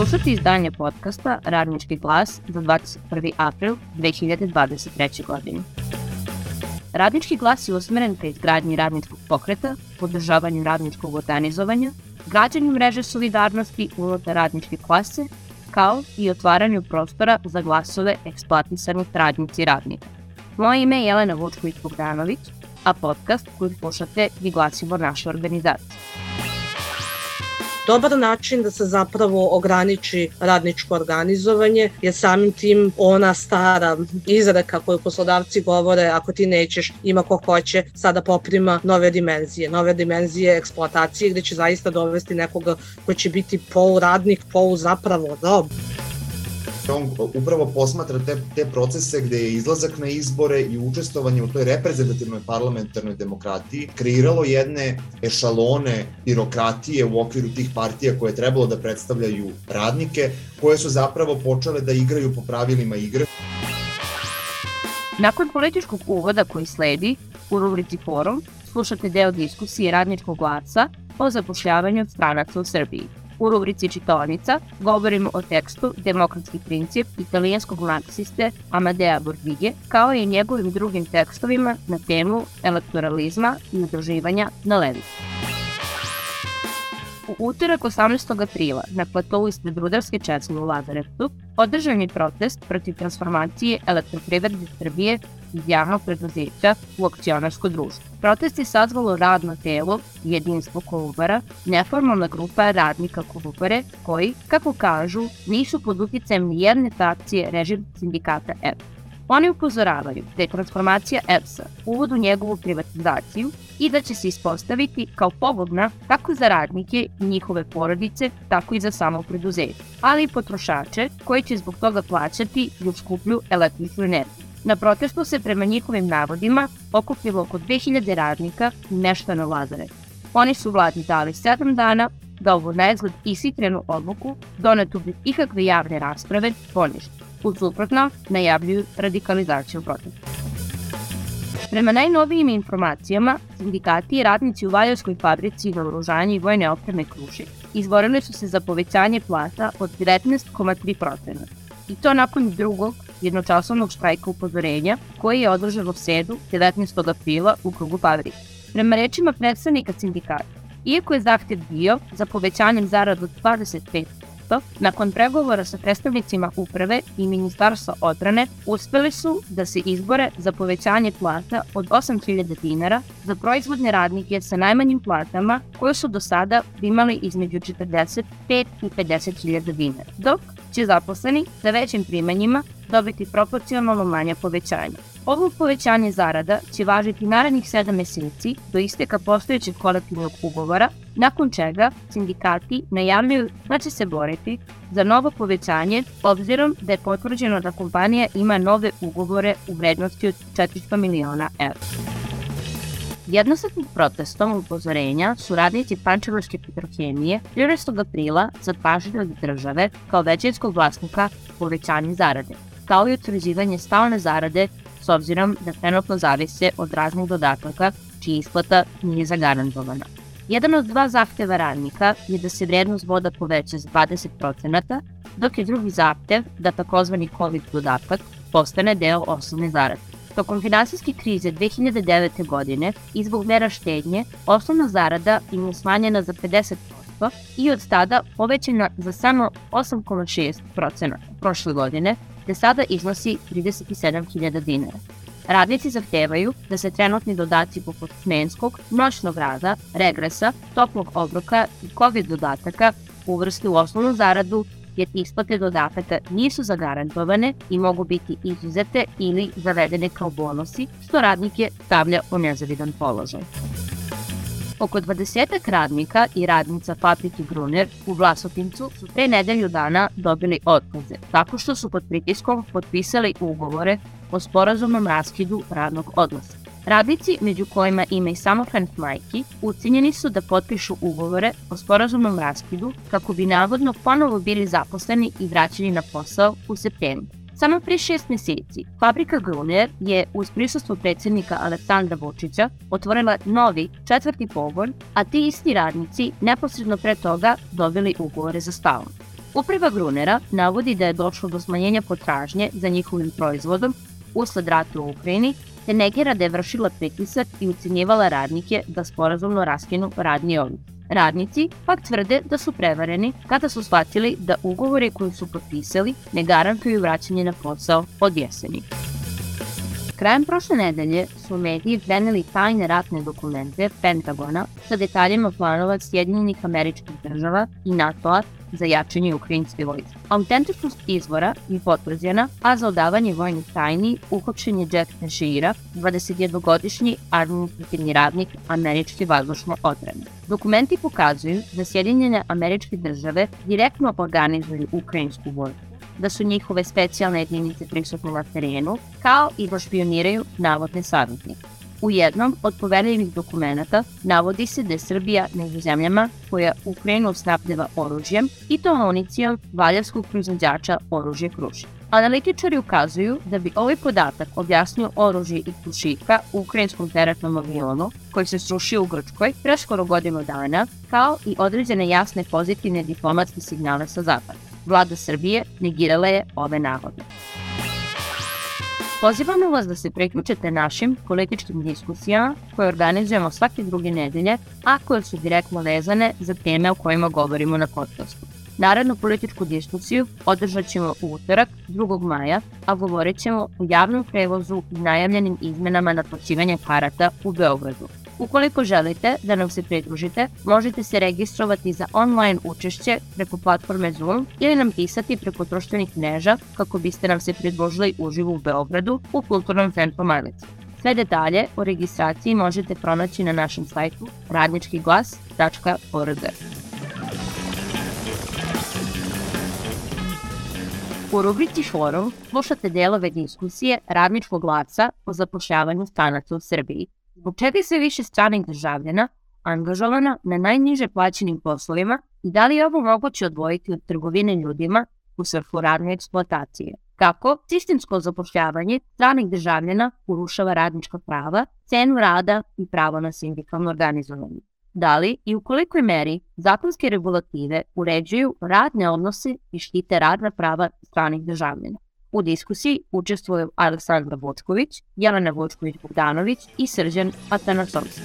Slušati izdanje podcasta Radnički glas za 21. april 2023. godine. Radnički glas je usmeren ka izgradnji radničkog pokreta, podržavanju radničkog organizovanja, građanju mreže solidarnosti unutar radničke klase, kao i otvaranju prostora za glasove eksploatisanih radnici i radnika. Moje ime je Jelena Vučković-Bogdanović, a podcast koji slušate je glasilo naše organizacije. Dobar način da se zapravo ograniči radničko organizovanje je samim tim ona stara izreka koju poslodavci govore: ako ti nećeš, ima ko hoće, sada poprima nove dimenzije eksploatacije, gde će zaista dovesti nekoga ko će biti poluradnik, zapravo rob. On upravo posmatra te procese gde je izlazak na izbore i učestvovanje u toj reprezentativnoj parlamentarnoj demokratiji kreiralo jedne ešalone birokratije u okviru tih partija koje je trebalo da predstavljaju radnike, koje su zapravo počele da igraju po pravilima igre. Nakon političkog uvoda koji sledi, u rubrici Forum slušate deo diskusije Radničkog glasa o zapošljavanju stranaca u Srbiji. U rubrici Čitaonica govorimo o tekstu Demokratski princip italijanskog marksiste Amadea Bordige, kao i njegovim drugim tekstovima na temu elektoralizma i udruživanja na levici. U utorak 18. aprila na platovu ispred Rudarske česme u Lazarevcu održan je protest protiv transformacije Elektroprivrede Srbije iz javnog preduzeća u akcionarsko društvo. Protest je sazvalo radno telo Jedinstvo Kolubara, neformalna grupa radnika Kolubare koji, kako kažu, nisu pod uticajem nijedne frakcije režimskog sindikata EPS. Oni upozoravaju da je transformacija EPS-a uvod u njegovu privatizaciju i da će se ispostaviti kao pogodna kako za radnike i njihove porodice, tako i za samo preduzeće, ali i potrošače koji će zbog toga plaćati još skuplju električnu energiju. Na protestu se prema njihovim navodima okupilo oko 2000 radnika i meštana Lazarevca. Oni su vladi dali 7 dana da ovu naizgled ishitrenu odluku, donetu bez ikakve javne rasprave, ponište. U suprotno, najavljuju radikalizaciju protesta. Prema najnovijim informacijama, sindikati i radnici u Valjevskoj fabrici naoružanja i vojne opreme Krušik izborili su se za povećanje plata od 19,3%. I to nakon drugog jednočasovnog štrajka upozorenja koji je održan u sredu 19. aprila u krugu fabrike. Prema rečima predstavnika sindikata, iako je zahtjev bio za povećanjem zarada od 25%, nakon pregovora sa predstavnicima uprave i Ministarstva odbrane uspeli su da se izbore za povećanje plata od 8.000 dinara za proizvodne radnike sa najmanjim platama koje su do sada primali između 45 i 50.000 dinara, dok će zaposleni sa većim primanjima dobiti proporcionalno manja povećanja. Ovo povećanje zarada će važiti narednih 7 meseci do isteka postojećeg kolektivnog ugovora, nakon čega sindikati najavljuju da će se boriti za novo povećanje, obzirom da je potvrđeno da kompanija ima nove ugovore u vrednosti od 400 miliona evra. Jednostavnim protestom upozorenja su radnici Pančevačke Petrohemije 13. aprila zatražili od države kao većinskog vlasnika povećanje zarade, kao i utvrđivanje stalne zarade s obzirom da trenutno zavise od raznih dodataka čija isplata nije zagarantovana. Jedan od 2 zahteva radnika je da se vrednost boda poveća za 20%, dok je drugi zahtev da takozvani COVID dodatak postane deo osnovne zarade. Tokom finansijske krize 2009. godine i zbog mera štednje, osnovna zarada im je smanjena za 50% i od tada povećana za samo 8,6% prošle godine, te sada iznosi 37.000 dinara. Radnici zahtevaju da se trenutni dodaci poput smenskog, noćnog rada, regresa, toplog obroka i COVID dodataka uvrste u osnovnu zaradu, jer isplate dodataka nisu zagarantovane i mogu biti izuzete ili zavedene kao bonusi, što radnike stavlja u nezavidan položaj. Oko 20 radnika i radnica fabrike Gruner u Vlasotincu su pre nedelju dana dobili otkaze, tako što su pod pritiskom potpisali ugovore o sporazumnom raskidu radnog odnosa. Radnici, među kojima ima i samohranih majki, ucenjeni su da potpišu ugovore o sporazumnom raskidu kako bi navodno ponovo bili zaposleni i vraćeni na posao u septembru. Samo pre 6 meseci, fabrika Gruner je uz prisustvo predsjednika Aleksandra Vučića otvorila novi 4. pogon, a ti isti radnici neposredno pre toga dobili ugovore za stalno. Uprava Grunera navodi da je došlo do smanjenja potražnje za njihovim proizvodom usled rata u Ukrajini, te negira da je vršila pritisak i ucenjivala radnike da sporazumno raskinu radni odnos. Radnici pak tvrde da su prevareni kada su shvatili da ugovori koji su potpisali ne garantuju vraćanje na posao od jeseni. Krajem prošle nedelje su mediji preneli tajne ratne dokumente Pentagona sa detaljima planova Sjedinjenih Američkih Država i NATO-a za jačanje ukrajinske vojske. Autentičnost izvora je potvrđena, a za odavanje vojnih tajni uhapšen je Jack Teixeira, 21-godišnji administrativni radnik američke vazdušne odbrane. Dokumenti pokazuju da Sjedinjene Američke Države direktno organizuju ukrajinsku vojsku, da su njihove specijalne jedinice prisutne na terenu, kao i da špioniraju navodne saveznike. U jednom od poverljivih dokumenata navodi se da je Srbija među zemljama koja Ukrajinu snabdeva oružjem i to municijom valjevskog proizvođača oružje Krušik. Analitičari ukazuju da bi ovaj podatak objasnio oružje i Krušika u ukrajinskom teretnom avionu koji se srušio u Grčkoj pre skoro godinu dana, kao i određene jasne pozitivne diplomatske signale sa zapada. Vlada Srbije negirala je ove navode. Pozivamo vas da se priključite našim političkim diskusijama koje organizujemo svake druge nedelje, a koje su direktno vezane za teme o kojima govorimo na podcastu. Narednu političku diskusiju održat ćemo u utorak, 2. maja, a govorit ćemo o javnom prevozu i najavljenim izmenama naplaćivanja karata u Beogradu. Ukoliko želite da nam se pridružite, možete se registrovati za online učešće preko platforme Zoom ili nam pisati preko društvenih mreža kako biste nam se pridružili uživo u Beogradu u Kulturnom centru Majlice. Sve detalje o registraciji možete pronaći na našem sajtu radničkiglas.org. U rubrici Forum slušate delove diskusije Radničkog glasa o zapošljavanju stranaca u Srbiji. Zbog čega je sve više stranih državljana angažovana na najniže plaćenim poslovima i da li je ovo moguće odvojiti od trgovine ljudima u svrhu radne eksploatacije? Kako sistemsko zapošljavanje stranih državljana urušava radnička prava, cenu rada i pravo na sindikalno organizovanje? Da li i u kolikoj meri zakonske regulative uređuju radne odnose i štite radna prava stranih državljana? U diskusiji učestvuju Aleksandra Vučković, Jelena Vučković-Bogdanović i Srđan Atanasovski.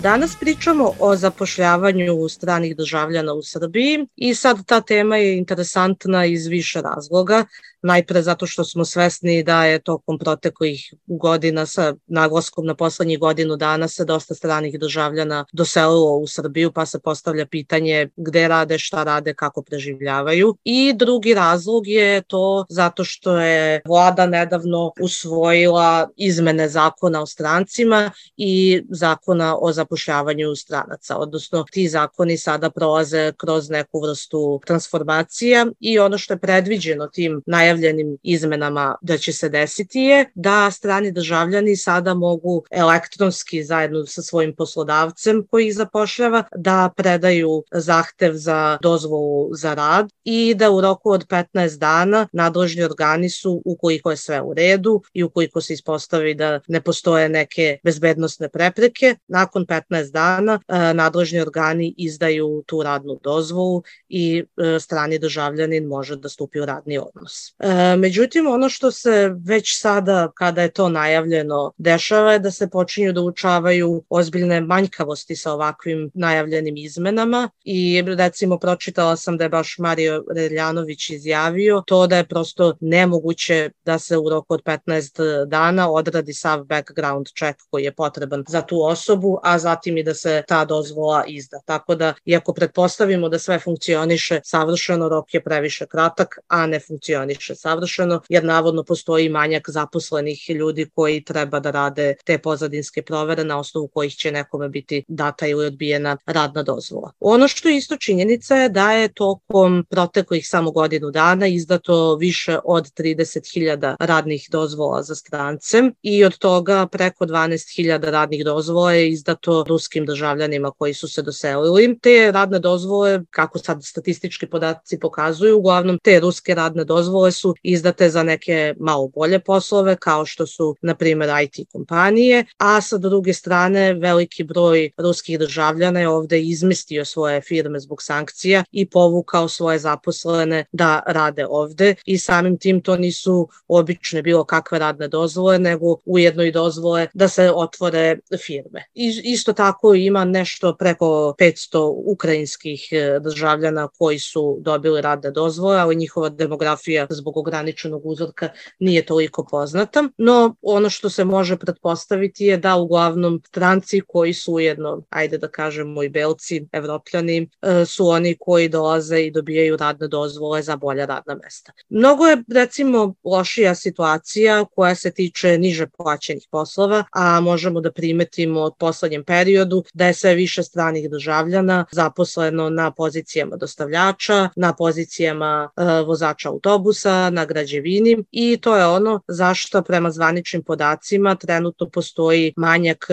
Danas pričamo o zapošljavanju stranih državljana u Srbiji i sad ta tema je interesantna iz više razloga. Najpre zato što smo svesni da je tokom proteklih godina sa naglaskom na poslednjih godinu dana se dosta stranih državljana doselilo u Srbiju, pa se postavlja pitanje gde rade, šta rade, kako preživljavaju. I drugi razlog je to zato što je vlada nedavno usvojila izmene zakona o strancima i zakona o zapošljavanju stranaca, odnosno ti zakoni sada prolaze kroz neku vrstu transformacija i ono što je predviđeno tim najavljenim izmenama da će se desiti je da strani državljani sada mogu elektronski zajedno sa svojim poslodavcem koji ih zapošljava da predaju zahtev za dozvolu za rad i da u roku od 15 dana nadležni organi su, ukoliko je sve u redu i ukoliko se ispostavi da ne postoje neke bezbednosne prepreke, nakon 15 dana nadležni organi izdaju tu radnu dozvolu i strani državljanin može da stupi u radni odnos. Međutim, ono što se već sada, kada je to najavljeno, dešava je da se počinju da uočavaju ozbiljne manjkavosti sa ovakvim najavljenim izmenama i recimo pročitala sam da je baš Mario Reljanović izjavio to da je prosto nemoguće da se u roku od 15 dana odradi sav background check koji je potreban za tu osobu, a zatim i da se ta dozvola izda. Tako da, iako pretpostavimo da sve funkcioniše savršeno, rok je previše kratak, a ne funkcioniše savršeno, jer navodno postoji manjak zaposlenih ljudi koji treba da rade te pozadinske provere na osnovu kojih će nekome biti data ili odbijena radna dozvola. Ono što je isto činjenica je da je tokom proteklih samo godinu dana izdato više od 30.000 radnih dozvola za strance i od toga preko 12.000 radnih dozvola je izdato ruskim državljanima koji su se doselili. Te radne dozvole, kako sad statistički podaci pokazuju, uglavnom te ruske radne dozvole su izdate za neke malo bolje poslove, kao što su, na primjer, IT kompanije, a sa druge strane veliki broj ruskih državljana je ovde izmestio svoje firme zbog sankcija i povukao svoje zaposlene da rade ovde i samim tim to nisu obične bilo kakve radne dozvole, nego ujedno i dozvole da se otvore firme. Isto tako ima nešto preko 500 ukrajinskih državljana koji su dobili radne dozvole, ali njihova demografija zbog ograničenog uzorka nije toliko poznata. No, ono što se može pretpostaviti je da uglavnom stranci koji su ujedno, ajde da kažemo i belci, evropljani, su oni koji dolaze i dobijaju radne dozvole za bolja radna mesta. Mnogo je, recimo, lošija situacija koja se tiče niže plaćenih poslova, a možemo da primetimo od poslednjem periodu da je sve više stranih državljana zaposleno na pozicijama dostavljača, na pozicijama vozača autobusa, na građevini i to je ono zašto prema zvaničnim podacima trenutno postoji manjak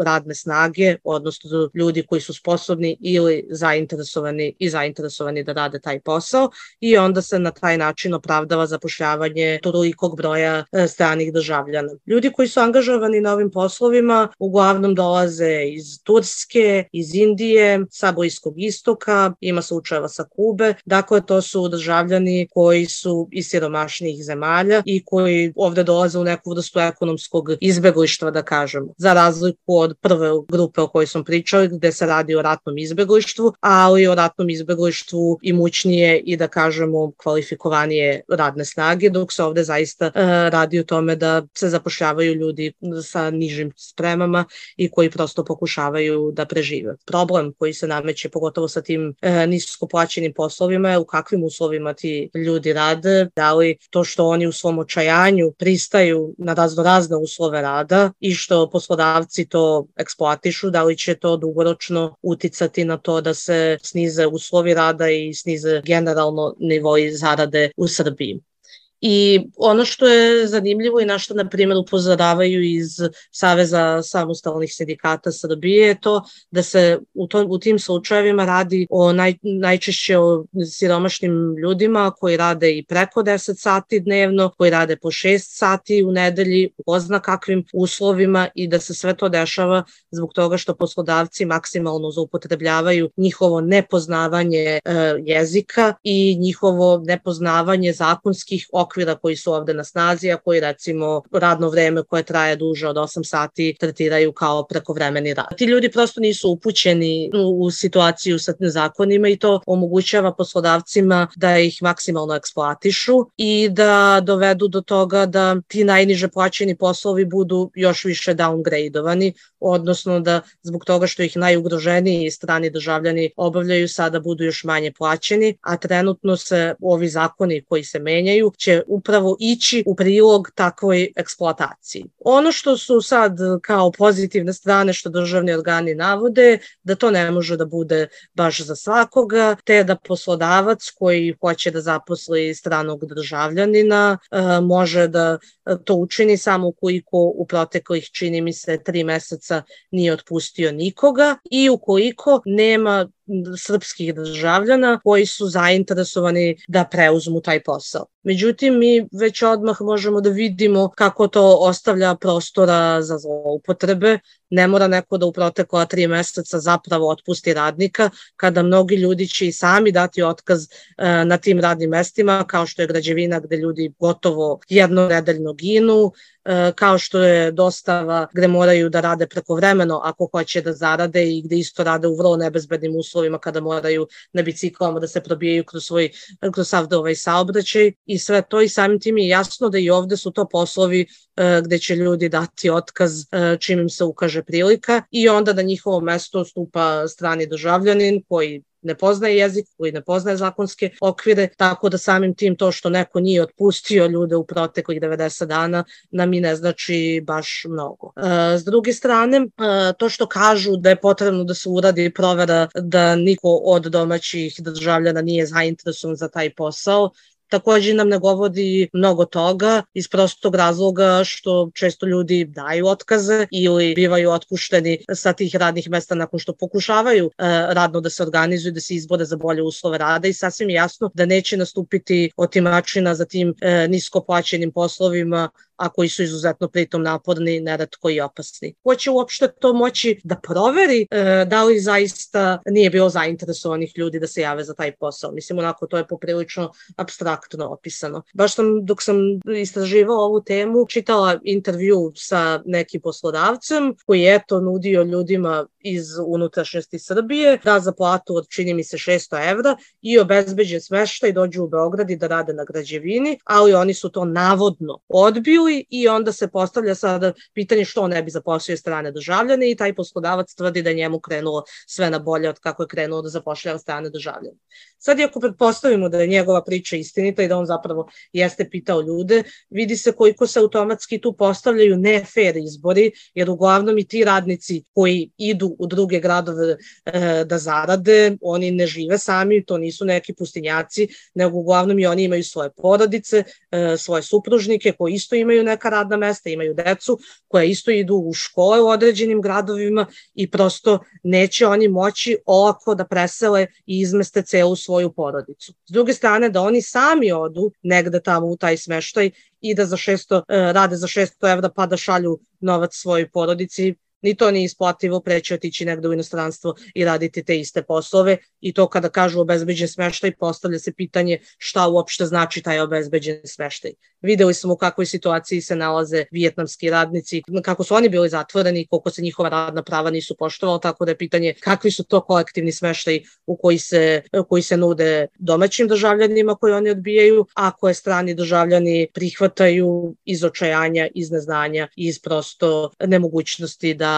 radne snage, odnosno ljudi koji su sposobni ili zainteresovani da rade taj posao i onda se na taj način opravdava zapošljavanje tolikog broja stranih državljana. Ljudi koji su angažovani na ovim poslovima uglavnom dolaze iz Turske, iz Indije, sa Bliskog istoka, ima slučajeva sa Kube, dakle to su državljani koji su iz siromašnijih zemalja i koji ovde dolaze u neku vrstu ekonomskog izbeglištva, da kažemo, za razliku od prve grupe o kojoj smo pričali, gde se radi o ratnom izbeglištvu, ali o ratnom izbeglištvu imućnije i da kažemo kvalifikovanije radne snage, dok se ovde zaista radi o tome da se zapošljavaju ljudi sa nižim spremama i koji prosto pokušavaju da prežive. Problem koji se nameće, pogotovo sa tim nisko plaćenim poslovima, je u kakvim uslovima ti ljudi rade, da li to što oni u svom očajanju pristaju na razne uslove rada i što poslodavci to eksploatišu, da li će to dugoročno uticati na to da se snize uslovi rada i snize generalno nivoi zarade u Srbiji. I ono što je zanimljivo i na što, na primjer, upozoravaju iz Saveza samostalnih sindikata Srbije je to da se u tim slučajevima radi o najčešće o siromašnim ljudima koji rade i preko 10 sati dnevno, koji rade po 6 sati u nedelji, u ko zna kakvim uslovima i da se sve to dešava zbog toga što poslodavci maksimalno zloupotrebljavaju njihovo nepoznavanje jezika i njihovo nepoznavanje zakonskih okvira koji su ovde na snazi, a koji recimo radno vreme koje traje duže od 8 sati tretiraju kao prekovremeni rad. Ti ljudi prosto nisu upućeni u situaciju sa zakonima i to omogućava poslodavcima da ih maksimalno eksploatišu i da dovedu do toga da ti najniže plaćeni poslovi budu još više downgradovani, odnosno da zbog toga što ih najugroženiji strani državljani obavljaju sada budu još manje plaćeni, a trenutno se ovi zakoni koji se menjaju će upravo ići u prilog takvoj eksploataciji. Ono što su sad kao pozitivne strane što državni organi navode, da to ne može da bude baš za svakoga, te da poslodavac koji hoće da zaposli stranog državljanina može da to učini samo ukoliko u proteklih, čini mi se, 3 meseca nije otpustio nikoga i ukoliko nema srpskih državljana koji su zainteresovani da preuzmu taj posao. Međutim, mi već odmah možemo da vidimo kako to ostavlja prostora za zloupotrebe. Ne mora neko da u protekla 3 meseca zapravo otpusti radnika, kada mnogi ljudi će i sami dati otkaz na tim radnim mestima, kao što je građevina gde ljudi gotovo jednonedeljno ginu, kao što je dostava gde moraju da rade prekovremeno ako hoće da zarade i gde isto rade u vrlo nebezbednim uslovima kada moraju na biciklama da se probijaju kroz sav ovaj saobraćaj i sve to i samim tim je jasno da i ovde su to poslovi gde će ljudi dati otkaz čim im se ukaže prilika i onda na njihovo mesto stupa strani državljanin koji ne poznaje jezik, koji ne poznaje zakonske okvire, tako da samim tim to što neko nije otpustio ljude u proteklih 90 dana nam i ne znači baš mnogo. S druge strane, to što kažu da je potrebno da se uradi provera da niko od domaćih državljana nije zainteresovan za taj posao, takođe nam ne govori mnogo toga iz prostog razloga što često ljudi daju otkaze ili bivaju otpušteni sa tih radnih mesta nakon što pokušavaju radno da se organizuju, da se izbore za bolje uslove rada i sasvim jasno da neće nastupiti otimačina za tim nisko plaćenim poslovima, a koji su izuzetno pritom naporni, neretko i opasni. Ko će uopšte to moći da proveri da li zaista nije bilo zainteresovanih ljudi da se jave za taj posao? Mislim, onako, to je poprilično apstraktno opisano. Baš dok sam istraživala ovu temu, čitala intervju sa nekim poslodavcem koji je to nudio ljudima iz unutrašnjosti Srbije, da za platu od, čini mi se, 600 evra i obezbeđen smeštaj, dođu u Beograd i da rade na građevini, ali oni su to navodno odbili i onda se postavlja sada pitanje što ne bi zaposlio strane državljane i taj poslodavac tvrdi da je njemu krenulo sve na bolje od kako je krenulo da zapošljava strane državljane. Sad, ako pretpostavimo da je njegova priča istinita i da on zapravo jeste pitao ljude, vidi se koliko se automatski tu postavljaju ne fair izbori, jer uglavnom i ti radnici koji idu u druge gradove da zarade, oni ne žive sami, to nisu neki pustinjaci, nego uglavnom i oni imaju svoje porodice, svoje supružnike koji isto imaju neka radna mesta, imaju decu koja isto idu u škole u određenim gradovima i prosto neće oni moći olako da presele i izmeste celu svoju porodicu. S druge strane, da oni sami odu negde tamo u taj smeštaj i da rade za 600 evra pa da šalju novac svojoj porodici, ni to nije isplativo, preći otići negde u inostranstvo i raditi te iste poslove i to kada kažu obezbeđen smeštaj, postavlja se pitanje šta uopšte znači taj obezbeđen smeštaj. Videli smo u kakvoj situaciji se nalaze vijetnamski radnici, kako su oni bili zatvoreni, koliko se njihova radna prava nisu poštovala, tako da je pitanje kakvi su to kolektivni smeštaj u koji se nude domaćim državljanima koji oni odbijaju, a koje strani državljani prihvataju iz očajanja, iz neznanja, iz prosto nemogućnosti da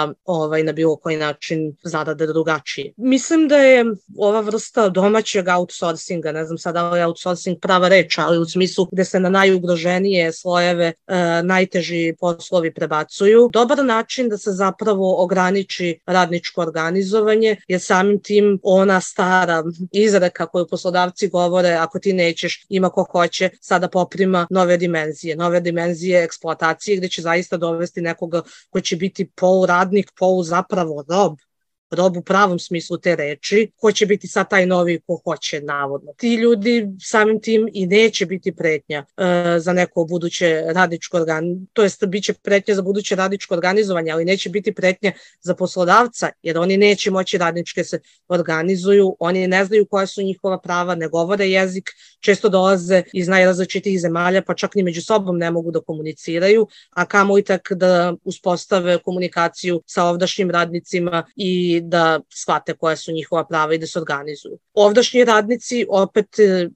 na bilo koji način zarade drugačije. Mislim da je ova vrsta domaćeg outsourcinga, ne znam sad da li je outsourcing prava reč, ali u smislu gde se na najugroženije slojeve najteži poslovi prebacuju, dobar način da se zapravo ograniči radničko organizovanje, jer samim tim ona stara izreka koju poslodavci govore, ako ti nećeš, ima ko hoće, sada poprima nove dimenzije eksploatacije gde će zaista dovesti nekoga ko će biti poluradnik, zapravo rob u pravom smislu te reči, ko će biti sad taj novi ko hoće, navodno. Ti ljudi samim tim i neće biti pretnja za neko buduće radničko to jest biće pretnja za buduće radničko organizovanje, ali neće biti pretnja za poslodavca, jer oni neće moći radničke se organizuju, oni ne znaju koja su njihova prava, ne govore jezik, često dolaze iz najrazličitih zemalja, pa čak ni među sobom ne mogu da komuniciraju, a kamoli tek da uspostave komunikaciju sa ovdašnjim radnicima i da shvate koja su njihova prava i da se organizuju. Ovdašnji radnici, opet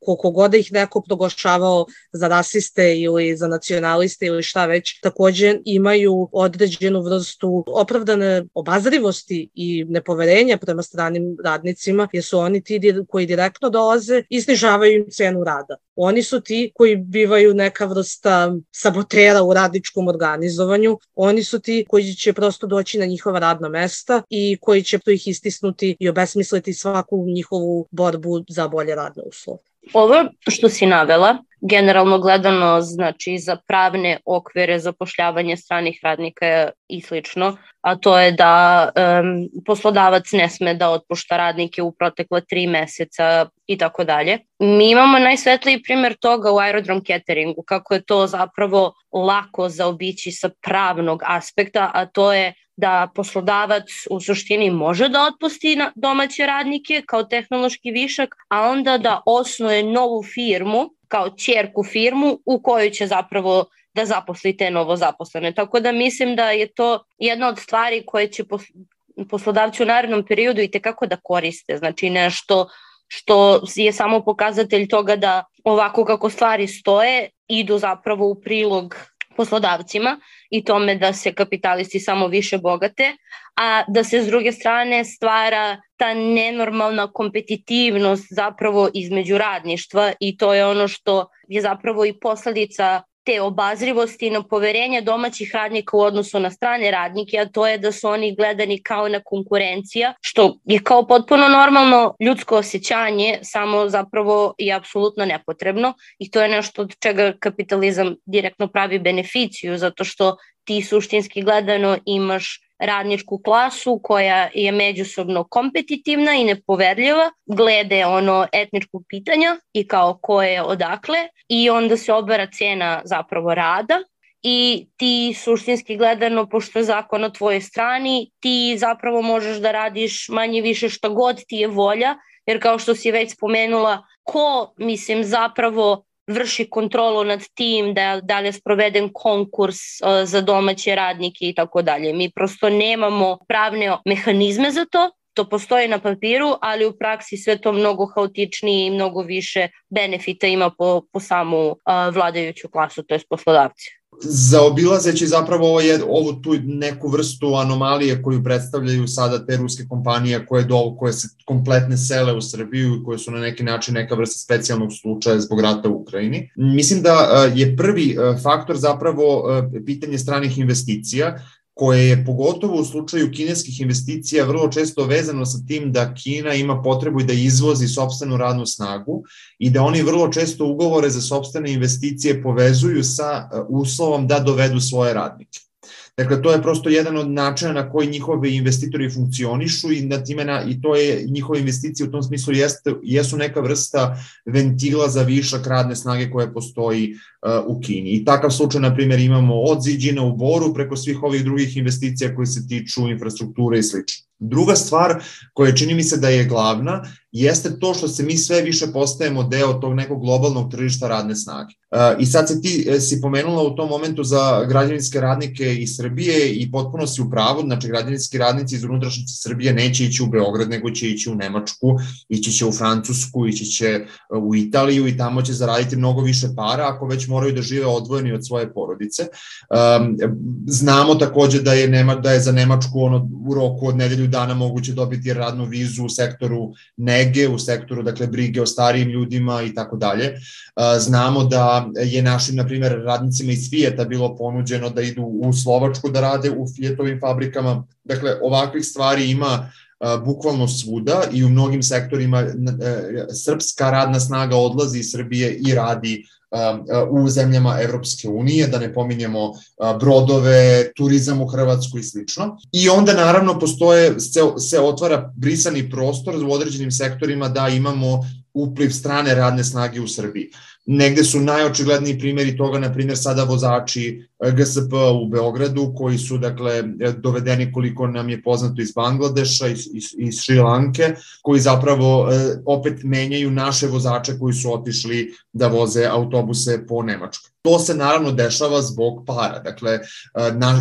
koliko god da ih neko proglašavao za rasiste ili za nacionaliste ili šta već, takođe imaju određenu vrstu opravdane obazrivosti i nepoverenja prema stranim radnicima, jer su oni ti koji direktno dolaze i snižavaju im cenu rada. Oni su ti koji bivaju neka vrsta sabotera u radničkom organizovanju, oni su ti koji će prosto doći na njihova radna mesta i koji će ih istisnuti i obesmisliti svaku njihovu borbu za bolje radne uslove. Ovo što si navela, generalno gledano, znači za pravne okvire zapošljavanje stranih radnika i slično, a to je da poslodavac ne sme da otpušta radnike u protekle 3 meseca i tako dalje. Mi imamo najsvetliji primjer toga u aerodrom cateringu, kako je to zapravo lako zaobići sa pravnog aspekta, a to je da poslodavac u suštini može da otpusti domaće radnike kao tehnološki višak, a onda da osnuje novu firmu, kao ćerku firmu u kojoj će zapravo da zaposli te novozaposlene. Tako da mislim da je to jedna od stvari koje će poslodavci u narednom periodu i tekako da koriste. Znači nešto što je samo pokazatelj toga da ovako kako stvari stoje idu zapravo u prilog poslodavcima i tome da se kapitalisti samo više bogate, a da se s druge strane stvara ta nenormalna kompetitivnost zapravo između radništva i to je ono što je zapravo i posledica te obazrivosti i na poverenje domaćih radnika u odnosu na strane radnike, a to je da su oni gledani kao na konkurencija, što je kao potpuno normalno ljudsko osjećanje, samo zapravo je apsolutno nepotrebno i to je nešto od čega kapitalizam direktno pravi beneficiju, zato što ti suštinski gledano imaš radničku klasu koja je međusobno kompetitivna i nepoverljiva glede etničkog pitanja i kao ko je odakle i onda se obara cena zapravo rada i ti suštinski gledano, pošto je zakon na tvojoj strani, ti zapravo možeš da radiš manje više šta god ti je volja, jer kao što si već spomenula, ko zapravo vrši kontrolu nad tim da li je sproveden konkurs za domaće radnike i tako dalje. Mi prosto nemamo pravne mehanizme za to, to postoji na papiru, ali u praksi sve to mnogo haotičnije i mnogo više benefita ima po samu vladajuću klasu, to je poslodavci. Zaobilazeći zapravo ovu tu neku vrstu anomalije koju predstavljaju sada te ruske kompanije koje se kompletne sele u Srbiju i koje su na neki način neka vrsta specijalnog slučaja zbog rata u Ukrajini. Mislim da je prvi faktor zapravo pitanje stranih investicija, koje je pogotovo u slučaju kineskih investicija vrlo često vezano sa tim da Kina ima potrebu da izvozi sopstvenu radnu snagu i da oni vrlo često ugovore za sopstvene investicije povezuju sa uslovom da dovedu svoje radnike. Dakle, to je prosto jedan od načina na koji njihovi investitori funkcionišu i to je njihove investicije u tom smislu jesu neka vrsta ventila za višak radne snage koja postoji u Kini. I takav slučaj, na primjer, imamo od Ziđina u Boru preko svih ovih drugih investicija koje se tiču infrastrukture i sl. Druga stvar koja čini mi se da je glavna jeste to što se mi sve više postajemo deo tog nekog globalnog tržišta radne snage. I sad ti si pomenula u tom momentu za građevinske radnike iz Srbije i potpuno si u pravu, znači građevinski radnici iz unutrašnjosti Srbije neće ići u Beograd, nego će ići u Nemačku, ići će u Francusku, ići će u Italiju i tamo će zaraditi mnogo više para ako već moraju da žive odvojeni od svoje porodice. Znamo takođe da je za Nemačku u roku od nedelju dana moguće dobiti radnu vizu u sektoru nege, u sektoru brige o starijim ljudima i tako dalje. Znamo da je našim, na primjer, radnicima iz Fijeta bilo ponuđeno da idu u Slovačku da rade u Fijetovim fabrikama. Dakle, ovakvih stvari ima bukvalno svuda i u mnogim sektorima srpska radna snaga odlazi iz Srbije i radi u zemljama Evropske unije, da ne pominjemo brodove, turizam u Hrvatsku i slično. I onda naravno se otvara brisani prostor u određenim sektorima da imamo upliv strane radne snage u Srbiji. Negde su najočigledniji primjeri toga, na primjer, sada vozači GSP u Beogradu, koji su, dovedeni, koliko nam je poznato, iz Bangladeša, iz Šri Lanke, koji zapravo opet menjaju naše vozače koji su otišli da voze autobuse po Nemačkoj. To se naravno dešava zbog para. Dakle,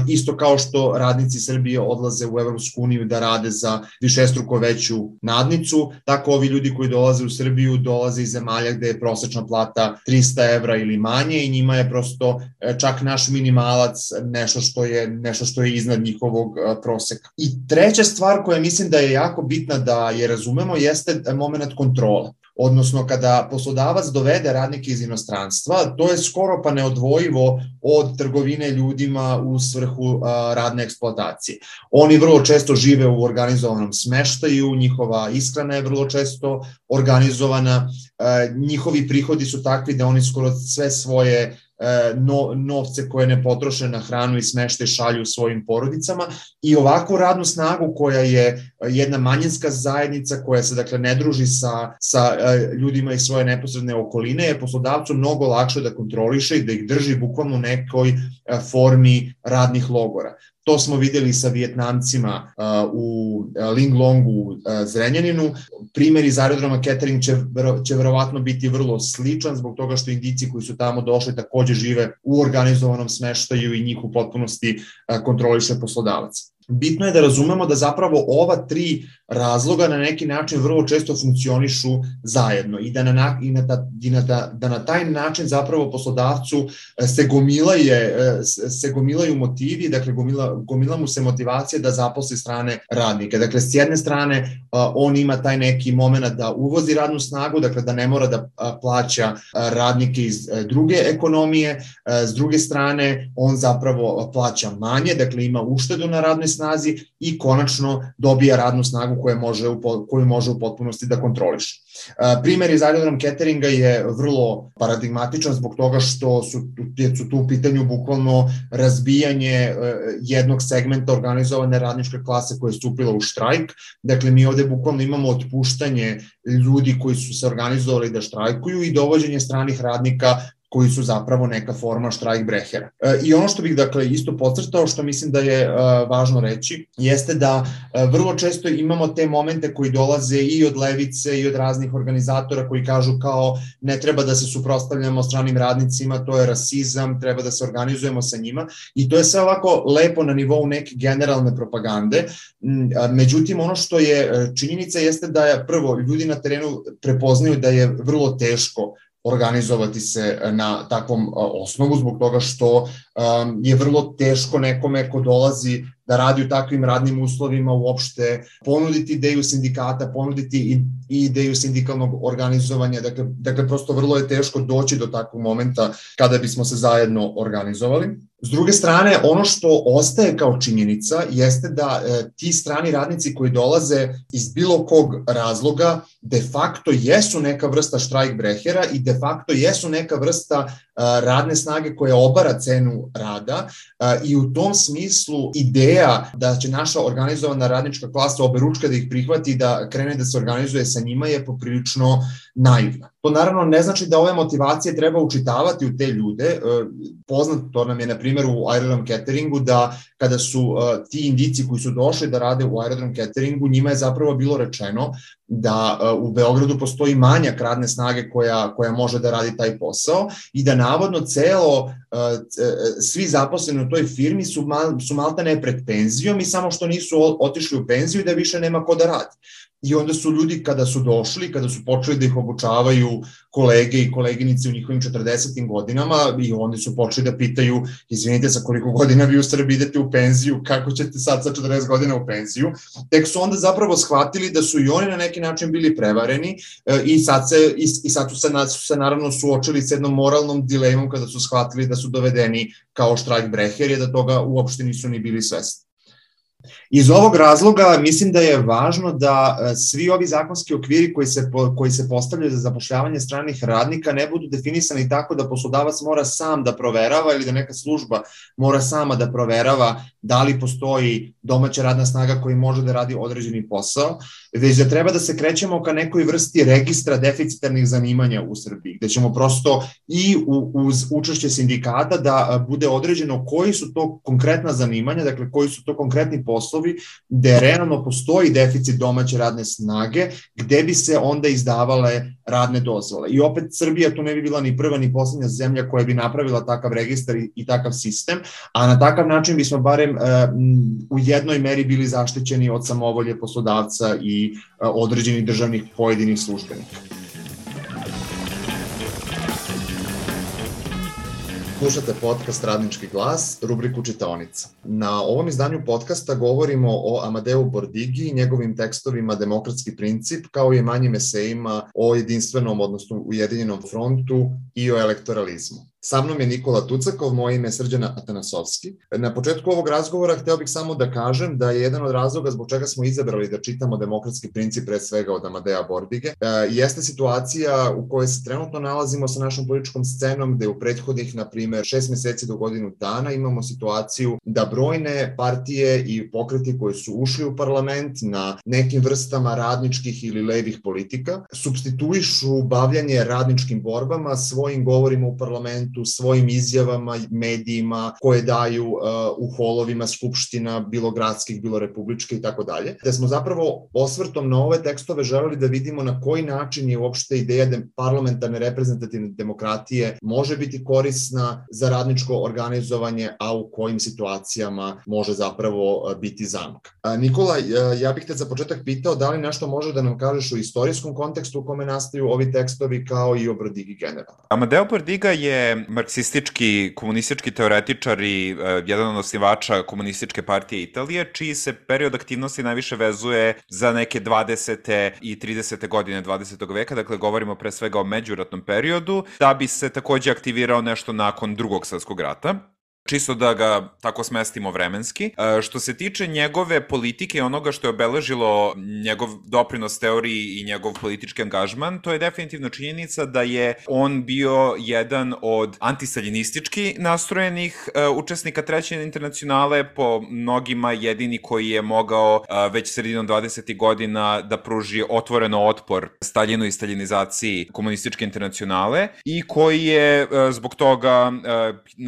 isto kao što radnici Srbije odlaze u Evropsku uniju da rade za višestruko veću nadnicu, tako ovi ljudi koji dolaze u Srbiju dolaze iz zemalja gde je prosečna plata 300 evra ili manje i njima je prosto čak naš minimalac nešto što je iznad njihovog proseka. I treća stvar koja mislim da je jako bitna da je razumemo jeste moment kontrole. Odnosno, kada poslodavac dovede radnike iz inostranstva, to je skoro pa neodvojivo od trgovine ljudima u svrhu radne eksploatacije. Oni vrlo često žive u organizovanom smeštaju, njihova ishrana je vrlo često organizovana, njihovi prihodi su takvi da oni skoro sve svoje novce koje ne potroše na hranu i smeštaj šalju svojim porodicama i ovakvu radnu snagu koja je jedna manjinska zajednica koja se ne druži sa ljudima iz svoje neposredne okoline je poslodavcu mnogo lakše da kontroliše i da ih drži bukvalno u nekoj formi radnih logora. To smo videli sa Vijetnamcima u Linglongu, u Zrenjaninu. Primjer iz aerodroma Kettering će verovatno biti vrlo sličan zbog toga što Indijci koji su tamo došli takođe žive u organizovanom smeštaju i njih u potpunosti kontroliše poslodavac. bitno je da razumemo da zapravo ova tri razloga na neki način vrlo često funkcionišu zajedno i da na taj način zapravo poslodavcu se gomilaju motivi, dakle gomila mu se motivacija da zaposli strane radnike. Dakle, s jedne strane on ima taj neki moment da uvozi radnu snagu, dakle da ne mora da plaća radnike iz druge ekonomije, s druge strane on zapravo plaća manje, dakle ima uštedu na radnoj snazi i konačno dobija radnu snagu koju može u potpunosti da kontroliše. Primer iz aerodrom cateringa je vrlo paradigmatičan zbog toga što su tu u pitanju bukvalno razbijanje jednog segmenta organizovane radničke klase koja je stupila u štrajk. Dakle, mi ovde bukvalno imamo otpuštanje ljudi koji su se organizovali da štrajkuju i dovođenje stranih radnika koji su zapravo neka forma štrajkbrehera. I ono što bih dakle isto podcrtao, što mislim da je važno reći, jeste da vrlo često imamo te momente koji dolaze i od levice i od raznih organizatora koji kažu kao ne treba da se suprotstavljamo stranim radnicima, to je rasizam, treba da se organizujemo sa njima i to je sve ovako lepo na nivou neke generalne propagande. Međutim, ono što je činjenica jeste da je prvo ljudi na terenu prepoznaju da je vrlo teško organizovati se na takvom osnovu zbog toga što je vrlo teško nekome ko dolazi da radi u takvim radnim uslovima uopšte ponuditi ideju sindikata, ponuditi i ideju sindikalnog organizovanja, dakle prosto vrlo je teško doći do takvog momenta kada bismo se zajedno organizovali. S druge strane, ono što ostaje kao činjenica jeste da ti strani radnici koji dolaze iz bilo kog razloga de facto jesu neka vrsta štrajkbrehera i de facto jesu neka vrsta radne snage koja obara cenu rada i u tom smislu ideja da će naša organizovana radnička klasa oberučka da ih prihvati i da krene da se organizuje sa njima je poprilično naivna. To naravno ne znači da ove motivacije treba učitavati u te ljude. Poznato nam je na primjer u aerodrom cateringu da kada su ti indici koji su došli da rade u aerodrom cateringu, njima je zapravo bilo rečeno da u Beogradu postoji manjak radne snage koja može da radi taj posao i da navodno svi zaposleni u toj firmi su maltene pred penzijom i samo što nisu otišli u penziju i da više nema ko da radi. I onda su ljudi kada su došli, kada su počeli da ih obučavaju kolege i koleginice u njihovim 40. godinama i oni su počeli da pitaju, izvinite, sa koliko godina vi u Srbiji idete u penziju, kako ćete sad sa 40 godina u penziju, tek su onda zapravo shvatili da su i oni na neki način bili prevareni i sad su se naravno suočili s jednom moralnom dilemom kada su shvatili da su dovedeni kao štrajkbreheri, da toga uopšte nisu ni bili svesni. Iz ovog razloga mislim da je važno da svi ovi zakonski okviri koji se postavljaju za zapošljavanje stranih radnika ne budu definisani tako da poslodavac mora sam da proverava ili da neka služba mora sama da proverava da li postoji domaća radna snaga koji može da radi određeni posao, već da treba da se krećemo ka nekoj vrsti registra deficitarnih zanimanja u Srbiji, gde ćemo prosto i uz učešće sindikata da bude određeno koji su to konkretna zanimanja, dakle koji su to konkretni poslovi gde realno postoji deficit domaće radne snage, gde bi se onda izdavale radne dozvole. I opet Srbija tu ne bi bila ni prva ni poslednja zemlja koja bi napravila takav registar i takav sistem, a na takav način bismo barem u jednoj meri bili zaštićeni od samovolje poslodavca i određenih državnih pojedinih službenika. Slušate podcast Radnički glas, rubriku Čitaonica. Na ovom izdanju podcasta govorimo o Amadeu Bordigi i njegovim tekstovima Demokratski princip, kao i manjim esejima o jedinstvenom, odnosno ujedinjenom frontu i o elektoralizmu. Sa mnom je Nikola Tucakov, moje ime je Srđan Atanasovski. Na početku ovog razgovora hteo bih samo da kažem da je jedan od razloga zbog čega smo izabrali da čitamo Demokratski princip pre svega od Amadea Bordige, jeste situacija u kojoj se trenutno nalazimo sa našom političkom scenom, gde u prethodnih, na primer, 6 meseci do godinu dana imamo situaciju da brojne partije i pokreti koji su ušli u parlament na nekim vrstama radničkih ili levih politika supstituišu bavljanje radničkim borbama svojim govorima u parlamentu parlamentu svojim izjavama, medijima koje daju u holovima skupština, bilo gradskih, bilo republičke i tako dalje. Da smo zapravo osvrtom na ove tekstove želeli da vidimo na koji način je uopšte ideja parlamentarne reprezentativne demokratije može biti korisna za radničko organizovanje, a u kojim situacijama može zapravo biti zamka. Nikola, ja bih te za početak pitao da li nešto može da nam kažeš o istorijskom kontekstu u kome nastaju ovi tekstovi kao i o Bordigi generalno. Amadeo Bordiga je marksistički, komunistički teoretičar i jedan od osnivača Komunističke partije Italije, čiji se period aktivnosti najviše vezuje za neke 20. i 30. godine 20. veka, dakle govorimo pre svega o međuratnom periodu, da bi se takođe aktivirao nešto nakon Drugog svetskog rata. Čisto da ga tako smestimo vremenski. Što se tiče njegove politike i onoga što je obeležilo njegov doprinos teoriji i njegov politički angažman, to je definitivno činjenica da je on bio jedan od antistaljinistički nastrojenih učesnika Treće internacionale, po mnogima jedini koji je mogao već sredinom 20. godina da pruži otvoreno otpor Staljinu i staljinizaciji Komunističke internacionale i koji je zbog toga,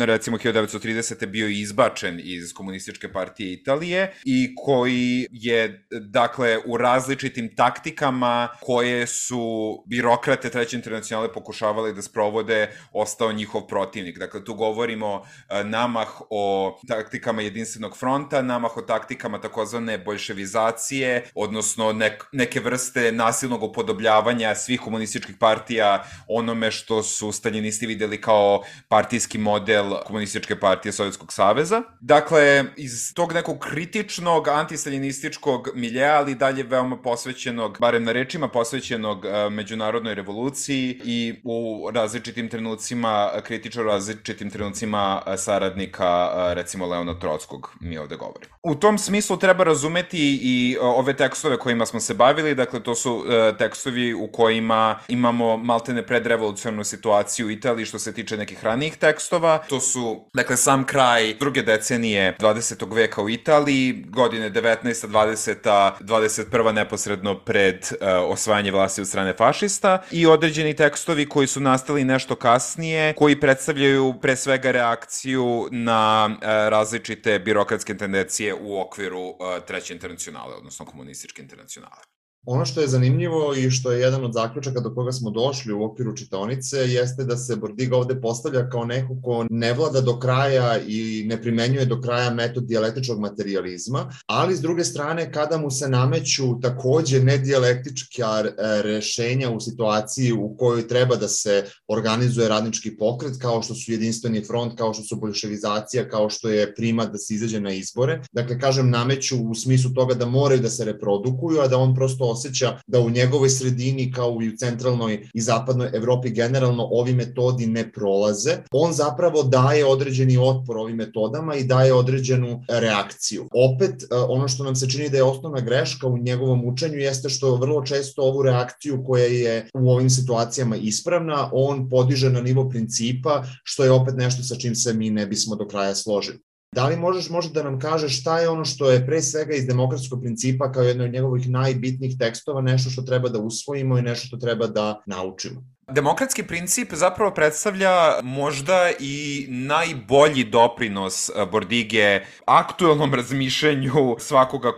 recimo 1930. bio izbačen iz Komunističke partije Italije i koji je, dakle, u različitim taktikama koje su birokrate Treće internacionale pokušavali da sprovode, ostao njihov protivnik. Dakle, tu govorimo namah o taktikama jedinstvenog fronta, namah o taktikama takozvane boljševizacije, odnosno neke vrste nasilnog upodobljavanja svih komunističkih partija onome što su staljinisti videli kao partijski model Komunističke partije Sovjetskog saveza. Dakle, iz tog nekog kritičnog antistaljinističkog miljeja, ali dalje veoma posvećenog, barem na rečima posvećenog međunarodnoj revoluciji i u različitim trenucima, kritično različitim trenucima saradnika, recimo Leona Trotskog, mi ovde govorimo. U tom smislu treba razumeti i ove tekstove kojima smo se bavili, dakle to su tekstovi u kojima imamo maltene predrevolucionarnu situaciju u Italiji što se tiče nekih ranijih tekstova. To su, dakle, sam kraj druge decenije 20. veka u Italiji, godine 19. 20. 21. neposredno pred osvajanje vlasti od strane fašista i određeni tekstovi koji su nastali nešto kasnije, koji predstavljaju pre svega reakciju na različite birokratske tendencije u okviru Treće internacionale, odnosno Komunističke internacionale. Ono što je zanimljivo i što je jedan od zaključaka do koga smo došli u okviru čitaonice jeste da se Bordiga ovde postavlja kao neko ko ne vlada do kraja i ne primenjuje do kraja metod dijalektičkog materijalizma, ali s druge strane kada mu se nameću takođe nedijalektička rešenja u situaciji u kojoj treba da se organizuje radnički pokret, kao što su jedinstveni front, kao što su boljševizacija, kao što je primat da se izađe na izbore. Dakle, kažem, nameću u smislu toga da moraju da se reprodukuju, a da on prosto osjeća da u njegovoj sredini, kao i u centralnoj i zapadnoj Evropi generalno, ovi metodi ne prolaze. On zapravo daje određeni otpor ovim metodama i daje određenu reakciju. Opet, ono što nam se čini da je osnovna greška u njegovom učenju jeste što vrlo često ovu reakciju koja je u ovim situacijama ispravna, on podiže na nivo principa, što je opet nešto sa čim se mi ne bismo do kraja složili. Da li možeš možda da nam kažeš šta je ono što je pre svega iz demokratskog principa kao jedno od njegovih najbitnijih tekstova, nešto što treba da usvojimo i nešto što treba da naučimo? Demokratski princip zapravo predstavlja možda i najbolji doprinos Bordige aktuelnom razmišljanju svakoga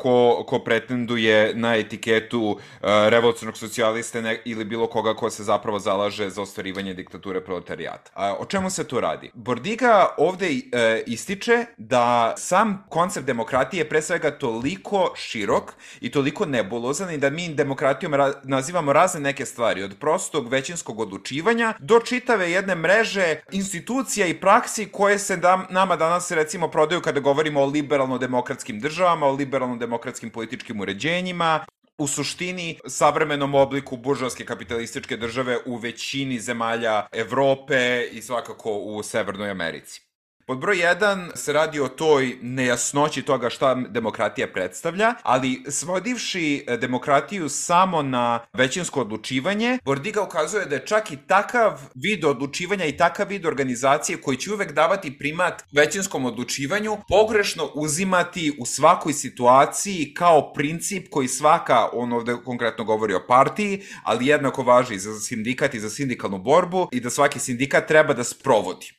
ko pretenduje na etiketu revolucionarnog socijaliste ili bilo koga ko se zapravo zalaže za ostvarivanje diktature proletarijata. O čemu se tu radi? Bordiga ovde ističe da sam koncept demokratije je pre svega toliko širok i toliko nebulozan i da mi demokratijom nazivamo razne neke stvari, od prostog većinskog odlučivanja do čitave jedne mreže institucija i praksi koje se nama danas recimo prodaju kada govorimo o liberalno-demokratskim državama, o liberalno-demokratskim političkim uređenjima, u suštini savremenom obliku buržoaske kapitalističke države u većini zemalja Evrope i svakako u Severnoj Americi. Pod broj 1 se radi o toj nejasnoći toga šta demokratija predstavlja, ali svodivši demokratiju samo na većinsko odlučivanje, Bordiga ukazuje da je čak i takav vid odlučivanja i takav vid organizacije koji će uvek davati primat većinskom odlučivanju, pogrešno uzimati u svakoj situaciji kao princip koji svaka, on ovde konkretno govori o partiji, ali jednako važi i za sindikat i za sindikalnu borbu i da svaki sindikat treba da sprovodi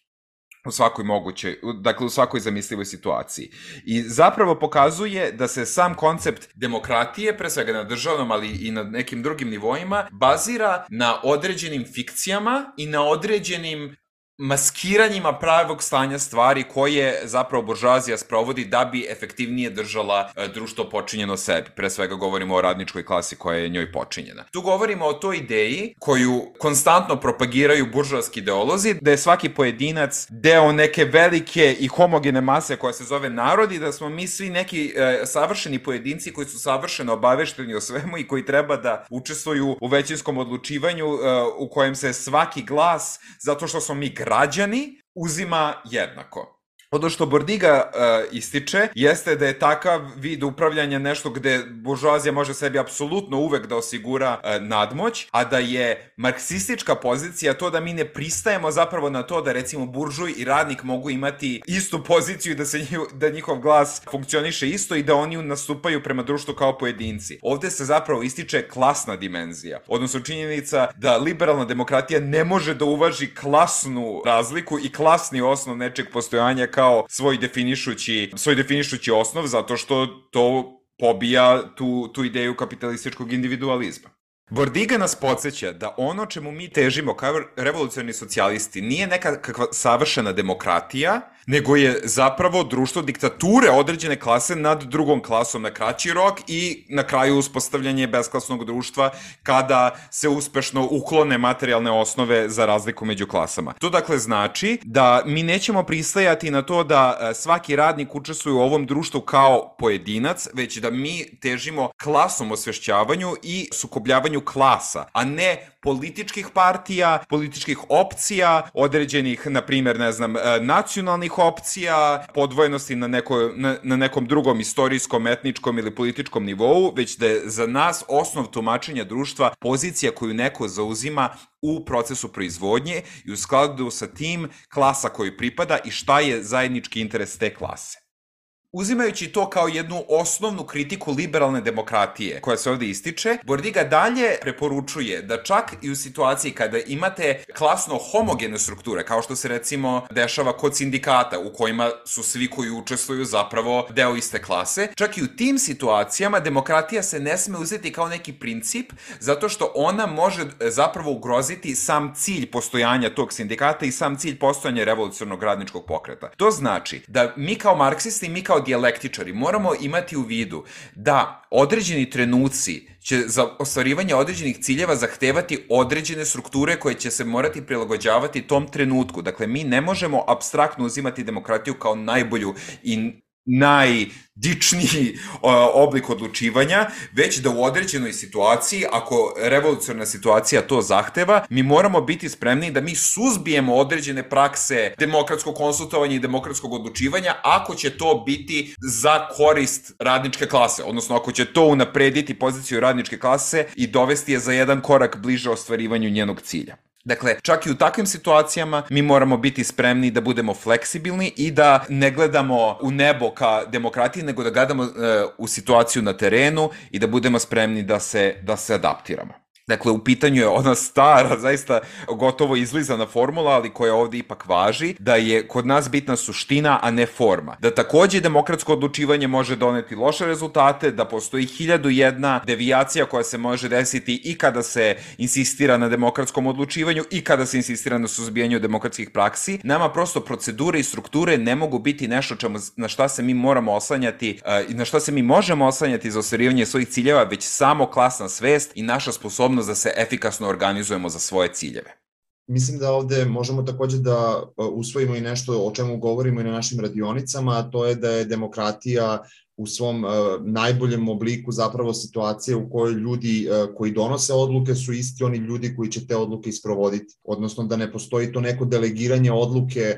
u svakoj mogućoj, dakle u svakoj zamislivoj situaciji. I zapravo pokazuje da se sam koncept demokratije, pre svega na državnom, ali i na nekim drugim nivoima, bazira na određenim fikcijama i na određenim maskiranjima pravog stanja stvari koje zapravo buržoazija sprovodi da bi efektivnije držala društvo počinjeno sebi. Pre svega govorimo o radničkoj klasi koja je njoj počinjena. Tu govorimo o toj ideji koju konstantno propagiraju buržoaski ideolozi, da je svaki pojedinac deo neke velike i homogene mase koja se zove narod i da smo mi svi neki savršeni pojedinci koji su savršeno obavešteni o svemu i koji treba da učestvuju u većinskom odlučivanju u kojem se svaki glas, zato što smo mi građani, uzima jednako. Ono što Bordiga ističe jeste da je takav vid upravljanja nešto gde buržoazija može sebi apsolutno uvek da osigura nadmoć, a da je marksistička pozicija to da mi ne pristajemo zapravo na to da recimo buržuj i radnik mogu imati istu poziciju i da njihov glas funkcioniše isto i da oni nastupaju prema društvu kao pojedinci. Ovde se zapravo ističe klasna dimenzija, odnosno činjenica da liberalna demokratija ne može da uvaži klasnu razliku i klasni osnov nečeg postojanja kao svoj definišući osnov, zato što to pobija tu ideju kapitalističkog individualizma. Bordiga nas podsjeća da ono čemu mi težimo kao revolucionarni socijalisti nije neka kakva savršena demokratija, nego je zapravo društvo diktature određene klase nad drugom klasom na kraći rok i na kraju uspostavljanje besklasnog društva kada se uspešno uklone materijalne osnove za razliku među klasama. To dakle znači da mi nećemo pristajati na to da svaki radnik učestvuje u ovom društvu kao pojedinac, već da mi težimo klasnom osvešćavanju i sukobljavanju klasa, a ne političkih partija, političkih opcija, određenih, na primjer, nacionalnih opcija, podvojenosti na nekom drugom istorijskom, etničkom ili političkom nivou, već da je za nas osnov tumačenja društva pozicija koju neko zauzima u procesu proizvodnje i u skladu sa tim klasa koju pripada i šta je zajednički interes te klase. Uzimajući to kao jednu osnovnu kritiku liberalne demokratije koja se ovde ističe, Bordiga dalje preporučuje da čak i u situaciji kada imate klasno homogene strukture, kao što se recimo dešava kod sindikata u kojima su svi koji učestvuju zapravo deo iste klase, čak i u tim situacijama demokratija se ne sme uzeti kao neki princip zato što ona može zapravo ugroziti sam cilj postojanja tog sindikata i sam cilj postojanja revolucionarnog radničkog pokreta. To znači da mi kao marksisti i mi kao dijalektičari moramo imati u vidu da određeni trenuci će za ostvarivanje određenih ciljeva zahtevati određene strukture koje će se morati prilagođavati tom trenutku. Dakle, mi ne možemo apstraktno uzimati demokratiju kao najbolju i najdičniji oblik odlučivanja, već da u određenoj situaciji, ako revolucionarna situacija to zahteva, mi moramo biti spremni da mi suzbijemo određene prakse demokratskog konsultovanja i demokratskog odlučivanja ako će to biti za korist radničke klase, odnosno ako će to unaprediti poziciju radničke klase i dovesti je za jedan korak bliže ostvarivanju njenog cilja. Dakle, čak i u takvim situacijama mi moramo biti spremni da budemo fleksibilni i da ne gledamo u nebo ka demokratiji, nego da gledamo u situaciju na terenu i da budemo spremni da se adaptiramo. Dakle, u pitanju je ona stara, zaista gotovo izlizana formula, ali koja ovde ipak važi, da je kod nas bitna suština, a ne forma. Da takođe demokratsko odlučivanje može doneti loše rezultate, da postoji 1001 devijacija koja se može desiti i kada se insistira na demokratskom odlučivanju i kada se insistira na suzbijanju demokratskih praksi. Nama prosto procedure i strukture ne mogu biti nešto na šta se mi moramo oslanjati i na šta se mi možemo oslanjati za ostvarivanje svojih ciljeva, već samo klasna svest i naša sposobnost da se efikasno organizujemo za svoje ciljeve. Mislim da ovde možemo takođe da usvojimo i nešto o čemu govorimo i na našim radionicama, a to je da je demokratija u svom najboljem obliku zapravo situacije u kojoj ljudi koji donose odluke su isti oni ljudi koji će te odluke isprovoditi, odnosno da ne postoji to neko delegiranje odluke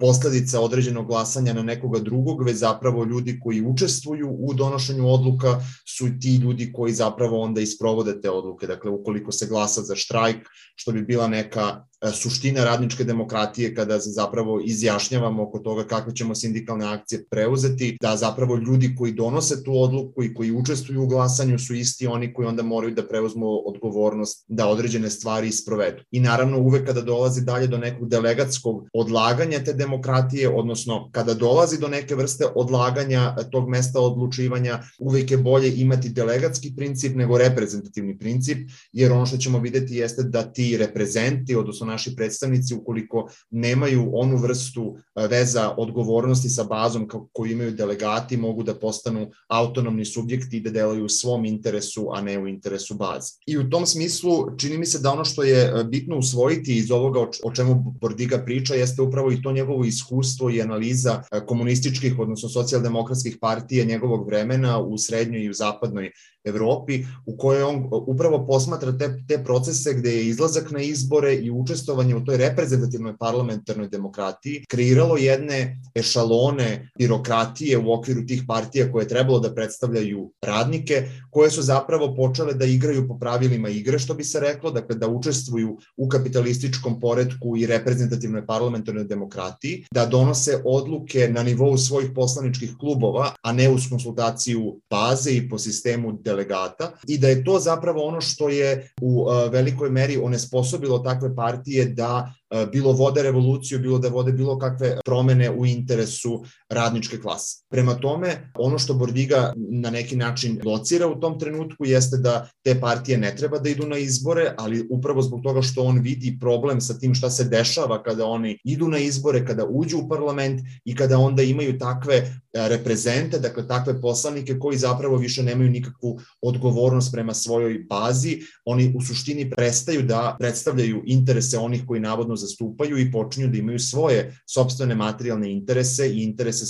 posledica određenog glasanja na nekoga drugog, već zapravo ljudi koji učestvuju u donošenju odluka su ti ljudi koji zapravo onda isprovode te odluke. Dakle, ukoliko se glasa za štrajk, što bi bila neka suština radničke demokratije kada se zapravo izjašnjavamo oko toga kakve ćemo sindikalne akcije preuzeti, da zapravo ljudi koji donose tu odluku i koji učestvuju u glasanju su isti oni koji onda moraju da preuzmu odgovornost da određene stvari isprovedu. I naravno uvek kada dolazi dalje do nekog delegatskog odlaganja te demokratije, odnosno kada dolazi do neke vrste odlaganja tog mesta odlučivanja, uvek je bolje imati delegatski princip nego reprezentativni princip, jer ono što ćemo videti jeste da ti reprezenti, odnosno naši predstavnici, ukoliko nemaju onu vrstu veza odgovornosti sa bazom koju imaju delegati, mogu da postanu autonomni subjekti i da delaju u svom interesu, a ne u interesu baze. I u tom smislu čini mi se da ono što je bitno usvojiti iz ovoga o čemu Bordiga priča jeste upravo i to njegovo iskustvo i analiza komunističkih, odnosno socijaldemokratskih partija njegovog vremena u srednjoj i u zapadnoj Evropi, u kojoj on upravo posmatra te procese gde je izlazak na izbore i učestvovanje u toj reprezentativnoj parlamentarnoj demokratiji kreiralo jedne ešalone birokratije u okviru tih partija koje je trebalo da predstavljaju radnike, koje su zapravo počele da igraju po pravilima igre, što bi se reklo, dakle da učestvuju u kapitalističkom poretku i reprezentativnoj parlamentarnoj demokratiji, da donose odluke na nivou svojih poslaničkih klubova, a ne uz konsultaciju baze i po sistemu delegata, i da je to zapravo ono što je u velikoj meri onesposobilo takve partije da bilo vode revoluciju, bilo da vode bilo kakve promene u interesu radničke klase. Prema tome, ono što Bordiga na neki način locira u tom trenutku jeste da te partije ne treba da idu na izbore, ali upravo zbog toga što on vidi problem sa tim šta se dešava kada oni idu na izbore, kada uđu u parlament i kada onda imaju takve reprezente, dakle takve poslanike koji zapravo više nemaju nikakvu odgovornost prema svojoj bazi, oni u suštini prestaju da predstavljaju interese onih koji navodno zastupaju i počinju da imaju svoje sopstvene materijalne interese i interese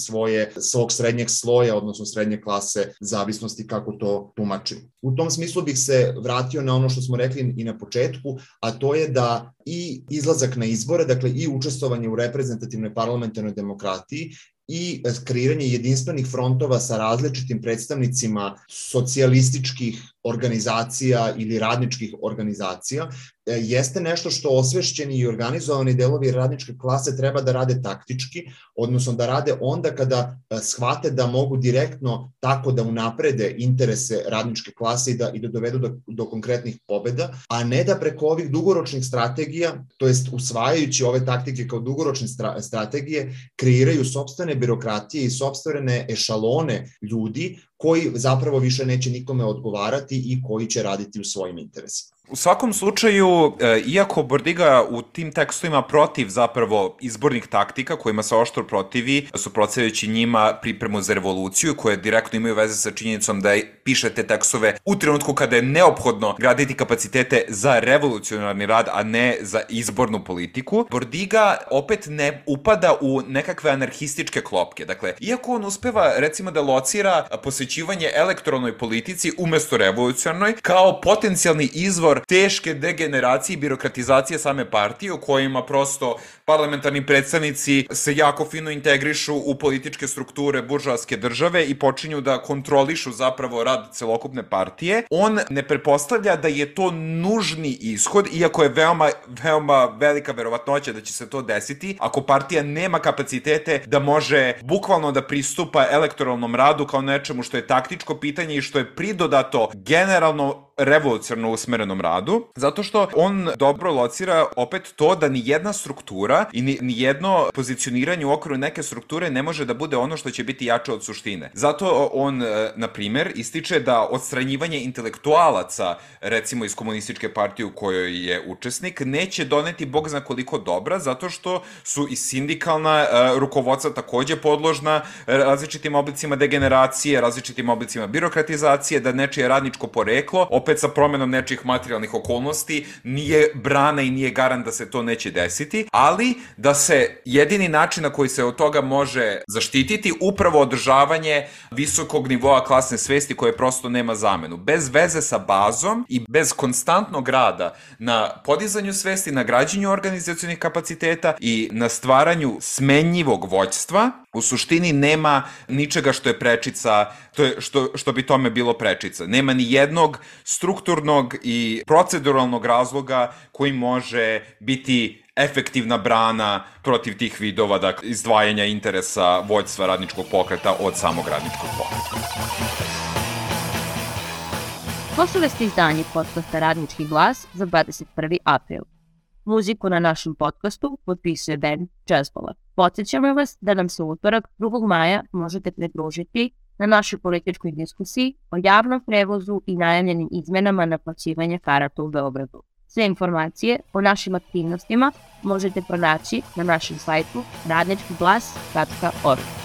svog srednjeg sloja, odnosno srednje klase, zavisnosti kako to tumačimo. U tom smislu bih se vratio na ono što smo rekli i na početku, a to je da i izlazak na izbore, dakle i učestvovanje u reprezentativnoj parlamentarnoj demokratiji i kreiranje jedinstvenih frontova sa različitim predstavnicima socijalističkih organizacija ili radničkih organizacija jeste nešto što osvešćeni i organizovani delovi radničke klase treba da rade taktički, odnosno da rade onda kada shvate da mogu direktno tako da unaprede interese radničke klase i da dovedu do konkretnih pobeda, a ne da preko ovih dugoročnih strategija, to jest usvajajući ove taktike kao dugoročne strategije, kreiraju sopstvene birokratije i sopstvene ešalone ljudi koji zapravo više neće nikome odgovarati i koji će raditi u svojim interesima. U svakom slučaju, iako Bordiga u tim tekstovima protiv zapravo izbornih taktika kojima se oštro protivi, suprotstavljajući njima pripremu za revoluciju koje direktno imaju veze sa činjenicom da piše te tekstove u trenutku kada je neophodno graditi kapacitete za revolucionarni rad, a ne za izbornu politiku, Bordiga opet ne upada u nekakve anarhističke klopke. Dakle, iako on uspeva recimo da locira posvećivanje elektronoj politici umesto revolucionarnoj kao potencijalni izvor teške degeneracije i birokratizacije same partije u kojima prosto parlamentarni predstavnici se jako fino integrišu u političke strukture buržoaske države i počinju da kontrolišu zapravo rad celokupne partije. On ne pretpostavlja da je to nužni ishod, iako je veoma velika verovatnoća da će se to desiti, ako partija nema kapacitete da može bukvalno da pristupa elektoralnom radu kao nečemu što je taktičko pitanje i što je pridodato generalno revolucionarno usmerenom radu, zato što on dobro locira opet to da ni jedna struktura i ni jedno pozicioniranje u okviru neke strukture ne može da bude ono što će biti jače od suštine. Zato on, na primer, ističe da odstranjivanje intelektualaca, recimo iz komunističke partije u kojoj je učesnik, neće doneti bog zna koliko dobra, zato što su i sindikalna rukovodstva takođe podložna različitim oblicima degeneracije, različitim oblicima birokratizacije, da nečije radničko poreklo opet sa promenom nečih materijalnih okolnosti, nije brana i nije garant da se to neće desiti, ali da se jedini način na koji se od toga može zaštititi upravo održavanje visokog nivoa klasne svesti koje prosto nema zamenu. Bez veze sa bazom i bez konstantnog rada na podizanju svesti, na građenju organizacionih kapaciteta i na stvaranju smenjivog vođstva, u suštini nema ničega što je prečica, što bi tome bilo prečica. Nema ni jednog strukturnog i proceduralnog razloga koji može biti efektivna brana protiv tih vidova, dakle, izdvajanja interesa vođstva radničkog pokreta od samog radničkog pokreta. Slušali ste izdanje podcasta Radnički glas za 21. april. Muziku na našem podcastu potpisuje band Jazzbola. Podsjećamo vas da nam se u utorak 2. maja možete pridružiti na našoj političkoj diskusiji o javnom prevozu i najavljenim izmenama naplaćivanja karata u Beogradu. Sve informacije o našim aktivnostima možete pronaći na našem sajtu radničkiglas.org.